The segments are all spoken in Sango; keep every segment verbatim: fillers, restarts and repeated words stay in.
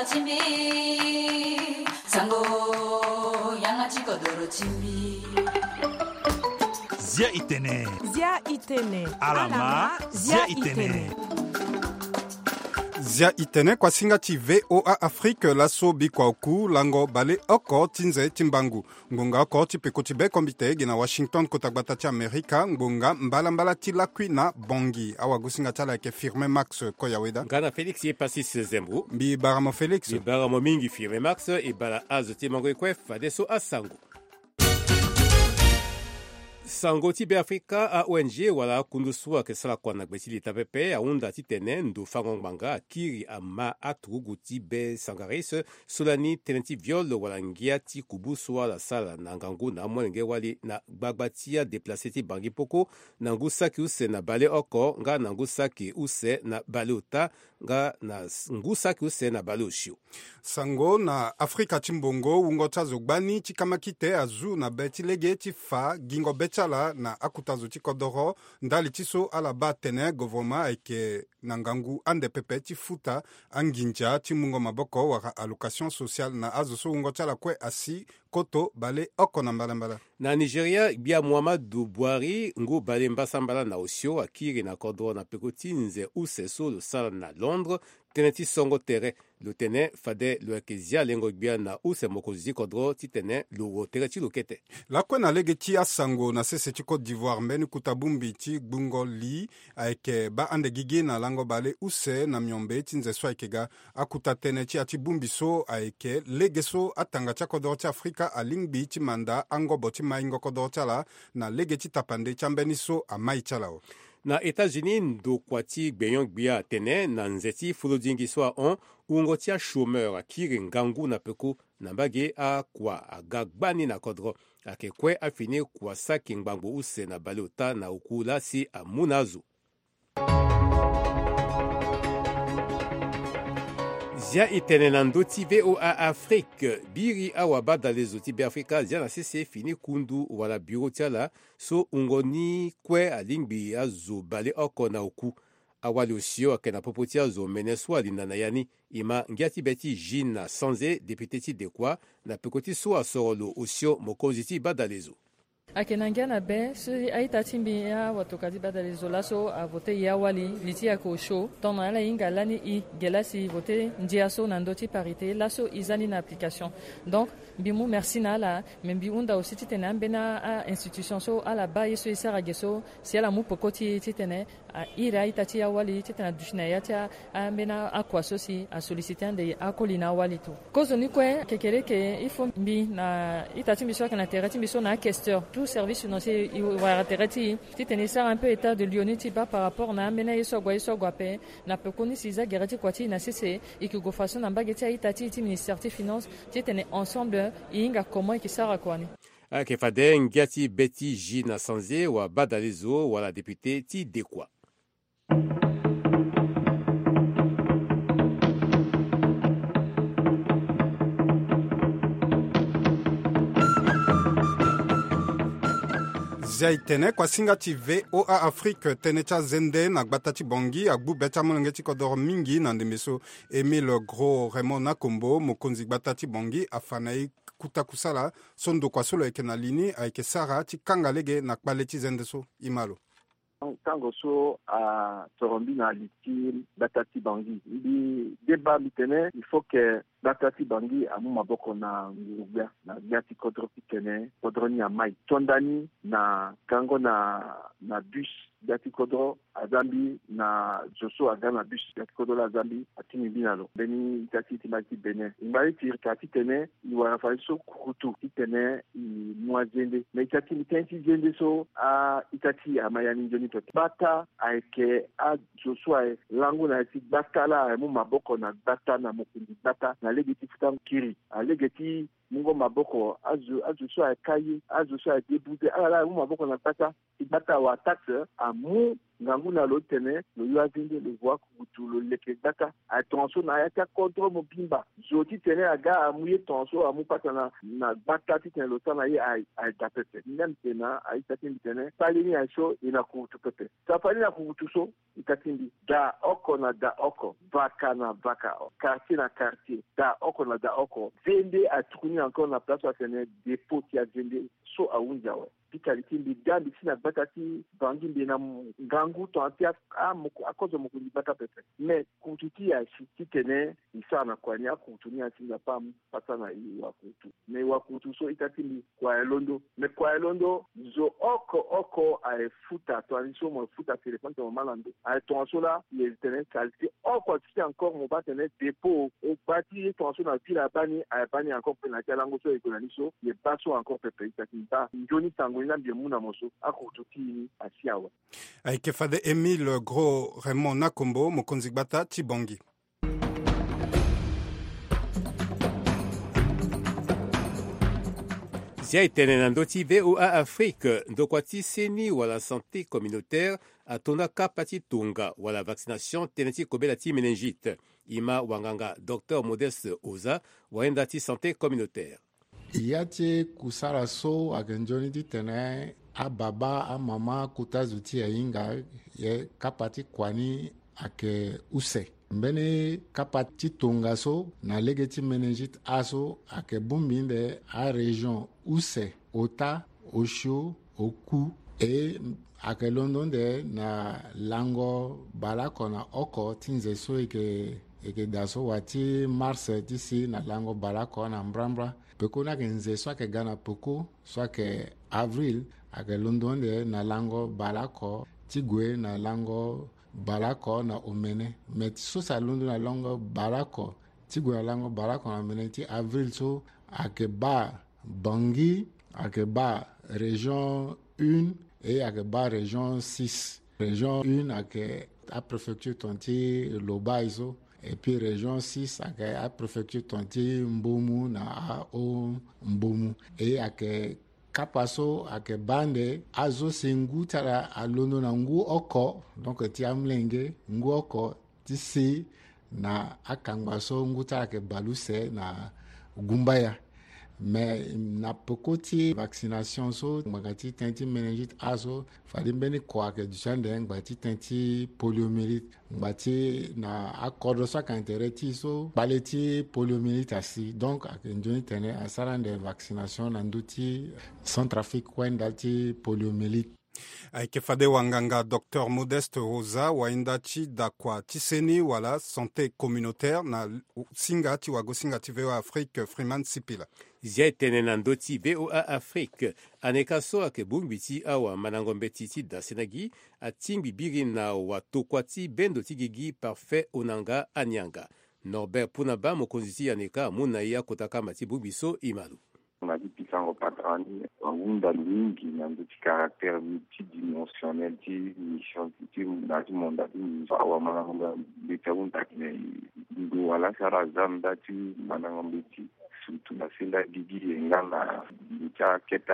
Timbi, sango, yanga ti kodoro timbi. Zia itene. Zia itene. Alama, zia itene. Zia itene, kuasinga ti V O A Afrique, laso bikua oku lango bale oko ti nze ti mbangu. Ngbonga oko ti peko ti be kombite gi na Washington, kota gbata ti Amerika, ngbonga mbalambala ti lakui na Bangui. Awagosinga ti ala ayeke Firmin Max Koyaweda. Nga na Félix ye Passis Zembo. Mbi bara mo Félix. Mbi bara mo mingi Firmin Max, e bara azo ti mango ye kue fadeso asango. Sango ti Beafrika, a-O N G wala akundu so ayeke sara kua na gbe ti leta pepe ahunda titene ndo fango ngbanga akiri ama aturugu ti be Sangaris so lani tënë ti viol wala ngia ti kubu so ala sara na ngangu na amolenge wali na gbagba ti adeplace ti Bangui Mpoko, na ngu saki use na baleoko nga na ngu saki use na baleota, nga na s-, ngu saki use na baleosio. Sango na Afrika ti mbongo, wungo ti azo gbani ti kamakite azu na be ti lege ti fa gingo be ti ala na akuta zo ti kodoro, ndali ti so ala baa atene govoroma ayeke na ngangu ande pepe ti futa anginza ti mungo maboko wala allocation sociale na azo so wungo ti ala kue asi koto baleoko na mbalambala. Na Nigeria, gbia Muhammadu Buhari, ngu bale mbasambala na osio, akiri na kodro na peko ti nze use so lo sara na Londres, tënë ti songo tere. Lo tene fade lo yeke zia lengo gbia na use mokonzi ti kodro titene lo wo tere ti lo kete. Lakue na lege ti asango, na sese ti Côte d'Ivoire, mbeni kuta bongbi ti gbungo li ayeke baa ande gigi na lango bale use na miombe ti nze so ayeke ga. Akuta tënë ti ya ti bongbi so ayeke lege so atanga ti akodoro ti Afrika alingbi ti manda angobo ti maingo kodoro ti ala na lege ti tapande ti ambeni so amai ti ala awe. Na États-Unis, ndokua ti gbenyo-gbia atene na nze ti folodingi so ahon, wungo ti achômeur akiri ngangu na peko na mbage akua aga gbani na kodro. Ayeke kue afini kua saki ngbangbo use na baleota na oku laa si amu na azo. Zia e tene na ndö ti V O A Afrique, biri awabadalezo ti Beafrika azia na sese fini kundu wala bureau ti ala so wungo ni kue alingbi azo baleoko na oku. Awali osio ayeke na popo ti azo mene so alinda na ya ni. E ma ngia ti be ti Gina Sanze, député ti Dekoa, na peko ti so asoro lo osio mokonzi ti badalezo. Ayeke na ngia na be so a-ita ti mbi, awato kadi badalezo laso avote e awali, li ti e ayeke osio. Tongana ala hinga lani e ge laa si e vote ndia so na ndö ti parité laso e za ni na application. Donc mbi mu merci na ala, mais mbi hunda aussi titene ambeni a-institution so ala baa ye so e sara ge so, si ala mu peko ti e titene a iri a-ita ti e awali titene aduti na ya ti a, ambeni akua so si asollicite ande akoli na awali tu. Kozoni kue kekereke, il faut mbi na ita ti mbi so ayeke na tere ti mbi so na aquesteur, tout service financier e wara tere ti e titene e sara un peu état de lieu ni ti baa par rapport na ambeni aye so agua, ye so agua ape. Na pekoni si e za gere ti kua ti e na sese, e yeke gue fadeso na mbage ti a-ita ti e ti ministère ti finance titene ensemble e hinga comment e yeke sara kua ni. Ayeke fade ngia ti be ti Gina Sanze, wabadalezo wala député ti Dekoa. Zia e tene, kuasinga ti V O A Afrique, tënë ti azende na gbata ti Bangui agbu be ti amolenge ti kodoro mingi na ndembe so. Émile Gros Raymond Nakombo, mokonzi gbata ti Bangui, afa na e kuta kusala so ndokua so lo yeke na li ni ayeke sara ti kanga lege na kpale ti zende so. E ma lo. Tango so asoro mbi na li ti gbata ti Bangui, mbi deba mbi tene il faut que gbata ti Bangui amu maboko na nguru-gbia na gbia ti kodro titene kodro ni amai. Tonda ni na kango na, na bus, gbia ti kodro aza mbi na zo so aga na bus, gbia ti kodro laa aza mbi, atindi mbi na lo. Mbeni ita ti e ti mbage ti Bénin. E ngba ti e ti ka titene e wara fadeso kukutu titene e mu azende. Me ita ti mbi tënë ti zende so a-ita ti e ama ya ni nzoni pepe. Gbata ayeke azo so aye lango na ya ti gbata laa aye mu maboko na gbata na mokonzi gbata na lege ti futa kiri. A lege ti mungo maboko azo, azo so aye ka ye, azo so aye débouté, ala laa aye mu maboko na gbata. Ti gbata wa taxe amu Ngangu na lo ti tene lo yo azende, lo vo akukutu, lo leke gbata. Aye tongaso na ya ti acontrôle mobimba. Zo ti tene aga amu ye tongaso, amu pasa na na gbata ti tene lo sara na ye aye, aye da pepe. Même tena aye ita ti mbi tene kpale ni aye so e na kukutu pepe. Safali na kukutu so ita ti mbi, da oko na da oko, vaka na vaka, quartier na quartier, da oko na da oko. Zende atuku ni encore na place so atene dépôt ti azende so ahunzi awe. Pitali ti mbi, da mbi si na gbata ti Bangui, mbi na ngangu tongana ti a- a- moko- akozo mokonzi gbata pepe. Mais kukutu ti e asi ti tene e sara na kua ni, akukutu ni asi nzapa amu pasa na e wakukutu. Mais wakukutu so ita ti mbi, kua e londo. Mais kua e londo, zo oko oko aye futa, tongana ni so mo futa téléphone ti mo ma na ndo. Aye tongaso laa e tene qualité oko ti encore mo baa tene dépôt. O gba ti ye tongaso na ville abaa ni, aye baa ni encore mpe na ya ti alango so e gue na ni so, e baa so encore pepe. Ita ti mbi baa nzoni sango ni laa mbi mu na mo so, akukutu ti e ni asi awe. Ayeke fade Émile Gros Raymond Nakombo, mokonzi gbata ti Bangui. Zia e tene na ndö ti V O A Afrique, ndokua ti seni wala santé communautaire ato nda kapa ti tonga wala vaccination tënë ti kobela ti méningite. E ma wanganga Docteur Modeste Oza, wayenda ti santé communautaire. Ya ti kusala so ayeke nzoni titene ababa, amama, kota zo ti e ahinga, ye kapa ti kua ni ayeke use. Mbeni kapa ti tongaso na lege ti méningite aso ayeke bongbi nde arégion use, ota, osio, oku. E ayeke londo nde na lango baleoko na oko ti nze so e yeke, e yeke daa so, wa ti mars ti si na lango baleoko na mbrambra. Peko ni ayeke nze so ayeke ga na peko so ayeke avril, ayeke londo nde na lango baleoko ti gue na lango baleoko na omene. Me ti so si alondo na lango baleoko ti gue na lango baleoko na omene ti avril so ayeke baa Bangui, ayeke baa région un, e ayeke baa région six. Région un ayeke apréfecture tongana ti Lobaye so. Et puis région six ayeke apréfecture tongana ti Mbomou na Haut-Mbomou. E ayeke kapa so ayeke baa nde azo si ngu ti ala alondo na ngu oko, donc ti amolenge, ngu oko ti si na akangba so ngu ti ala ayeke baleuse na gumbaya. Me na peko ti vaccination so, ngbanga ti tënë ti méningite aso, fade mbeni kua ayeke duti ande ngbanga ti tënë ti poliomyélite. Ngbanga ti na akodro so ayeke intérêt ti e so, kpale ti poliomyélite asi. Donc ayeke nzoni tene asara ande vaccination na ndö ti Centrafrique wenda ti poliomyélite. Ayeke fade wanganga Docteur Modeste Rosa, wayenda ti dakua ti seni wala santé communautaire na singa ti wagosinga ti V O A Afrique, Freeman Sipila. Zia e tene na ndö ti V O A Afrique. Aneka so ayeke bongbi ti awamandango mbeti ti dasena gi atingbi biri na watokua ti bendo ti gigi Parfait Onanga Anianga. Norbert Punaba, mokonzi ti Aneka, amu na e akota kamba ti bongbi so e ma lo. Na ti pikango patara ni, ahunda lo mingi na ndö ti caractère multidimensionnel ti mission ti, ti na ti mandat ti mission. Awamandango mbeti ahunda tene ndo wala si ala za nda ti mandango mbeti, surtout na senda gigi, e nga na ndo ti akete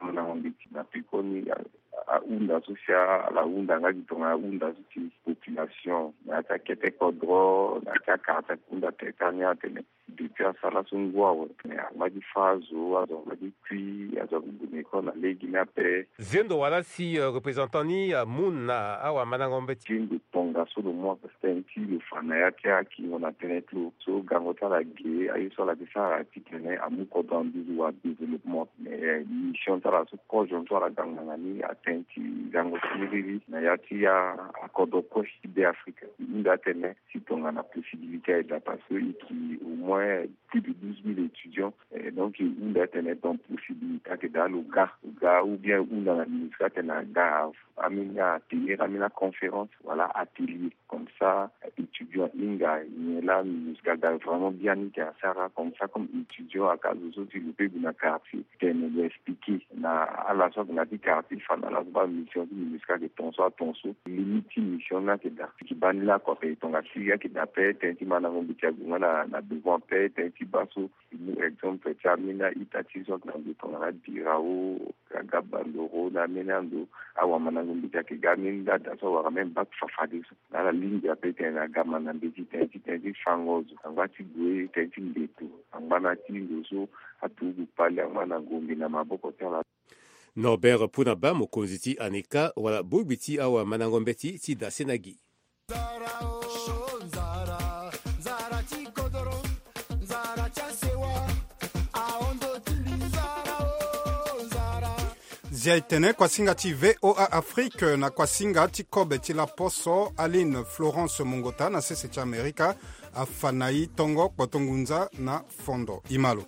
amandango mbeti. Na pekoni, a- ahunda so si ala hunda nga gi tongana ahunda so ti population na ya ti akete kodro, na ya ti akartie, ahunda tene ti ani atene depuis asara so ngu awe, mais angba ti fâ azo, azo angba ti kui, azo ague gue na école na lege ni ape. Zendo wala si, euh, représentant ni, euh, amu na awamandango mbeti. Zendo tongaso lo mu ape, tënë ti lo fa na ya ti akingo na tënë ti lo so gango ti ala ge, aye so ala ti sara titene amu kodro na nduzu wa développement. Mais, euh, mission ti ala so, kozo so ala ga ngbanga ni atene ti gango ti riri na ya ti a- akodro kue ti Be Afrika. E hunda atene si tongana possibilité ayeke daa, parce que e yeke au moins plus de douze mille étudiants. Eh, donc e hunda atene donc possibilité ayeke daa lo ga, lo ga, ou bien e hunda na MINUSCA atene aga, ambeni atelier, ambeni aconférence, voilà, atelier. Comme ça, étudiant ahinga, nyen laa MINUSCA aga vraiment biani ti asara. Comme ça, comme étudiant, aka zo so si lo peut gue na quartier, tene lo expliquer na ala so ayeke na ya ti quartier, fa na ala so baa mission ti MINUSCA ayeke tongaso, atongaso, limite ti mission ni, Ayeke daa ti baa ni laa kua ape, tonga siriri ayeke daa ape. Tënë ti mandango mbeti ague nga na, na devant ape. Tënë ti baa so, e mu exemple ti ambeni a-ita ti so ayeke na ndo tongana Birao, aga Bandoro, na ambeni ando, awamandango mbeti ayeke ga ambeni nda daa so awara même bac fafadeso. Na ala lingbi ape tene na aga manda mbeti, tënë ti, tënë ti fango zo, angba ti gue, tënë ti ndeto, angba na ti ndo so aturugu kpale angba na Gombe na maboko ti ala. Norbert Puna Ba, mokonzi ti ANICA, wala bogbi ti awamandango mbeti ti da sena gi. Nzara o, nzara, nzara ti kodoro, nzara ti asewa, ahondo ti mbi, nzara o, nzara. Zia e tene kuasinga ti V O A Afrique na kuasinga ti kobe ti laposo, Aline Florence Mongota na sese ti Amerika afa na e tongo kpoto ngunza na fondo. E ma lo.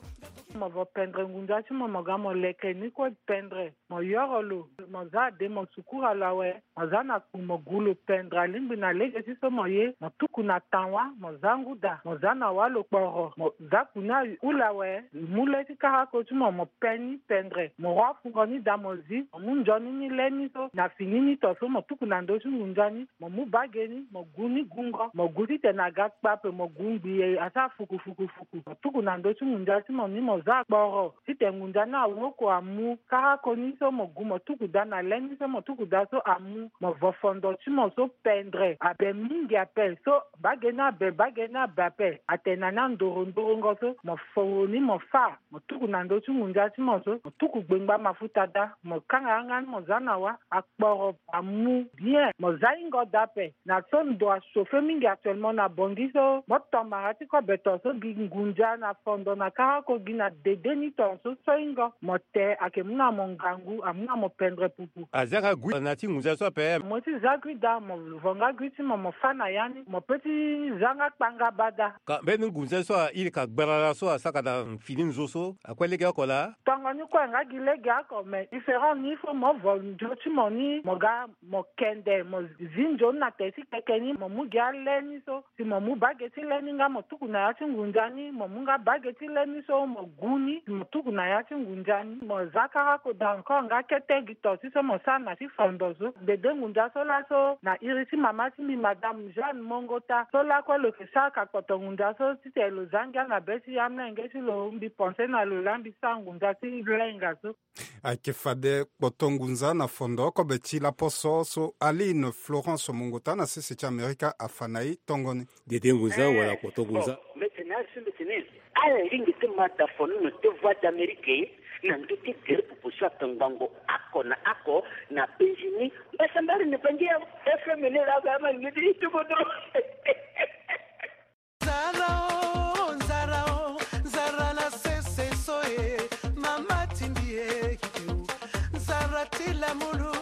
Mo vo pendre ngunza ti mo, mo ga mo leke ni kue pendre. Mo yoro lo, mo za ade, mo sukura lo awe. Mo za na ku, mo gu lo pendre. Alingbi na lege ti so mo ye, mo tuku na tan wa, mo za ngu daa, mo za na wa lo kporo, mo za ku ni ahula awe. Mu le ti karako ti mo, mo pe ni pendre. Mo rua fungo ni daa, mo zi, mo mu nzoni ni le ni so na fini ni to so, mo tuku na ndö ti ngunza ni, mo mu bage ni, mo gu ni gungo, mo gu titene aga kpa ape, mo gu ngbii asara fuku fuku fuku, mo tuku na ndö ti ngunza ti mo ni, mo za kporo. Titene ngunza ni awoko amu, karako ni so mo gu mo tuku daa na le ni so mo tuku daa so amu, mo vo fondo ti mo so pendre. Abe mingi ape so, bage ni abe, bage ni abe ape. Atene na ni andoro ndorongo so, mo foro ni mo fâ, mo tuku na ndö ti ngunza ti mo so, mo tuku gbengba mafuta daa, mo kanga yanga ni mo za na wa, akporo amu bien, mo za hingo daa ape. Na so ndo achauffer mingi actuellement na Bangui so, mo to mara ti kobe to so gi ngunza na fondo na karako gi na dede ni to so, so hingo. Mo te ayeke mu na mo ngangu, amu na mo pendre pupu. Azia nga gui na ti ngunza so ape. Mo ti za gui daa, mo vo nga gui ti mo, mo fâ na ya ni, mo pe ti za nga kpanga bada. Ka mbeni ngunza so a iri ka gbarara so asaka na fini nzo so, akue legeoko laa? Tongo ni kue nga gi legeoko, mais différent ni, il faut mo vo nzo ti mo ni, mo ga mo kende, mo zi nzoni na te ti keke ni, mo mu gi ale ni so, si mo mu bage ti le ni nga mo tuku na ya ti ngunza ni, mo mu nga bage ti le ni so, mo gu ni, si mo tuku na ya ti ngunza ni, mo za karako daa encore nga kete gi to ti so mo sara na ti fondo so. Dede ngunza so laso, na iri ti mama ti mbi, Madame Jeanne Mongota, so lakue lo yeke sara ka kpoto ngunza so, titene lo za ngia na be ti amolenge ti lo, mbi pense na lo laa mbi sara ngunza ti lenga so. Ayeke fade kpoto ngunza na fondo kobe ti laposo so Aline Florence Mongota na sese ti Amerika afa na e tongo ni. Dede ngunza wala kpoto ngunza. Mbeti ni azo so mbeti ni. Ala lingbi ti ma da fonono ti Voix d'Amérique na ndö ti gere pupu so atongbango oko na oko na penzi ni. Mbasambara ni Bangi ya F M ni laa ka ama lingbi ti tuku dro. Nzara o, nzara o, nzara na sese so e, mama ti mbi e, nzara ti lamulu,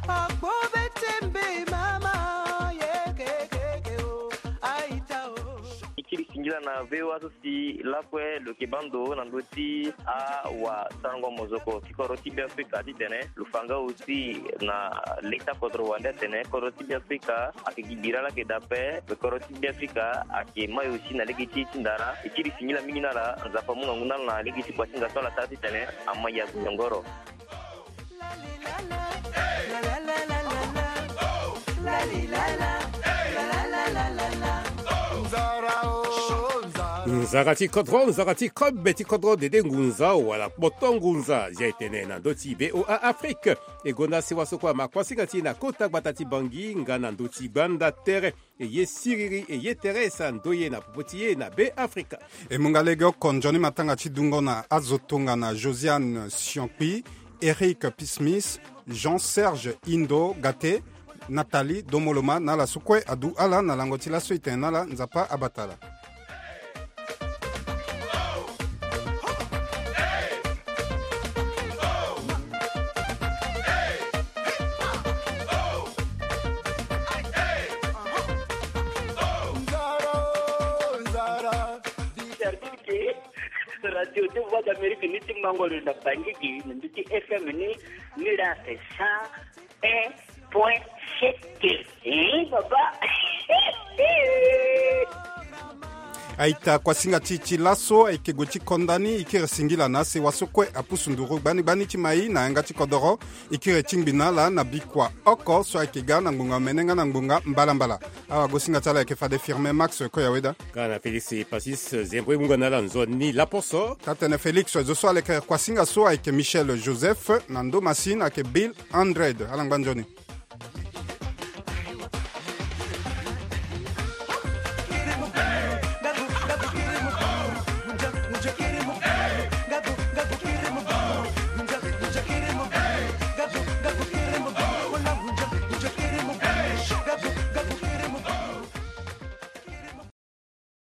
akpo be ti mbi mama, ye ke ke ke o, aita o. E kiri singila na V O A so si lakue lo yeke baa ndo na ndö ti awasarango mozoko ti kodro ti Beafrika titene lo fa nga aussi na le ti akodro wande atene kodro ti Beafrika ayeke gi bira laa ayeke daa ape. Kodro ti Beafrika ayeke mai aussi na lege ti e ti ndara. E kiri singila mingi na ala, Nzapa amu ngangu na ala na lege ti kua ti nda so ala sara titene ama ya gue nyongoro. Nzara ti kodro, nzara ti kobe ti kodro, dede ngunza wala kpoto ngunza, zia e tene na ndö ti V O A Afrique. E gonda sewa so kue ama kuasinga ti e na kota gbata ti Bangi nga na ndö ti gbanda tere. E ye siriri, e ye tere e sara ndoye na popo ti e na Beafrika. E mu nga legeoko nzoni matanga ti dungo na azo tongana Josiane Siankpi, Eric Pismis, Jean-Serge Indo Gate, Nathalie Domoloma na ala so kue adu ala na lango ti laso e tene na ala Nzapa abata ala. Radio ti Voix d'Amérique ni ti mango lo na Bangui gi na ndö ti F M ni, ni la ake sa un point sept. Eh, papa. Aita kuasinga ti ti laso ayeke gue ti konda ni, e kiri singila na asewa so kue apusu nduru gbani gbani ti mai na yanga ti kodoro. E kiri ti ngbi na ala na bikua oko so ayeke ga na ngbonga omene nga na ngbonga mbalambala. Awagosinga ti ala ayeke fade Firmin Max Koyaweda. Ka na Félix Passis Zembro e mu nga na ala nzoni laposo. Ka tene Félix, zo so aleke kuasinga so ayeke Michel Joseph, na ndo masini ayeke Bill Andred. Ala ngba nzoni.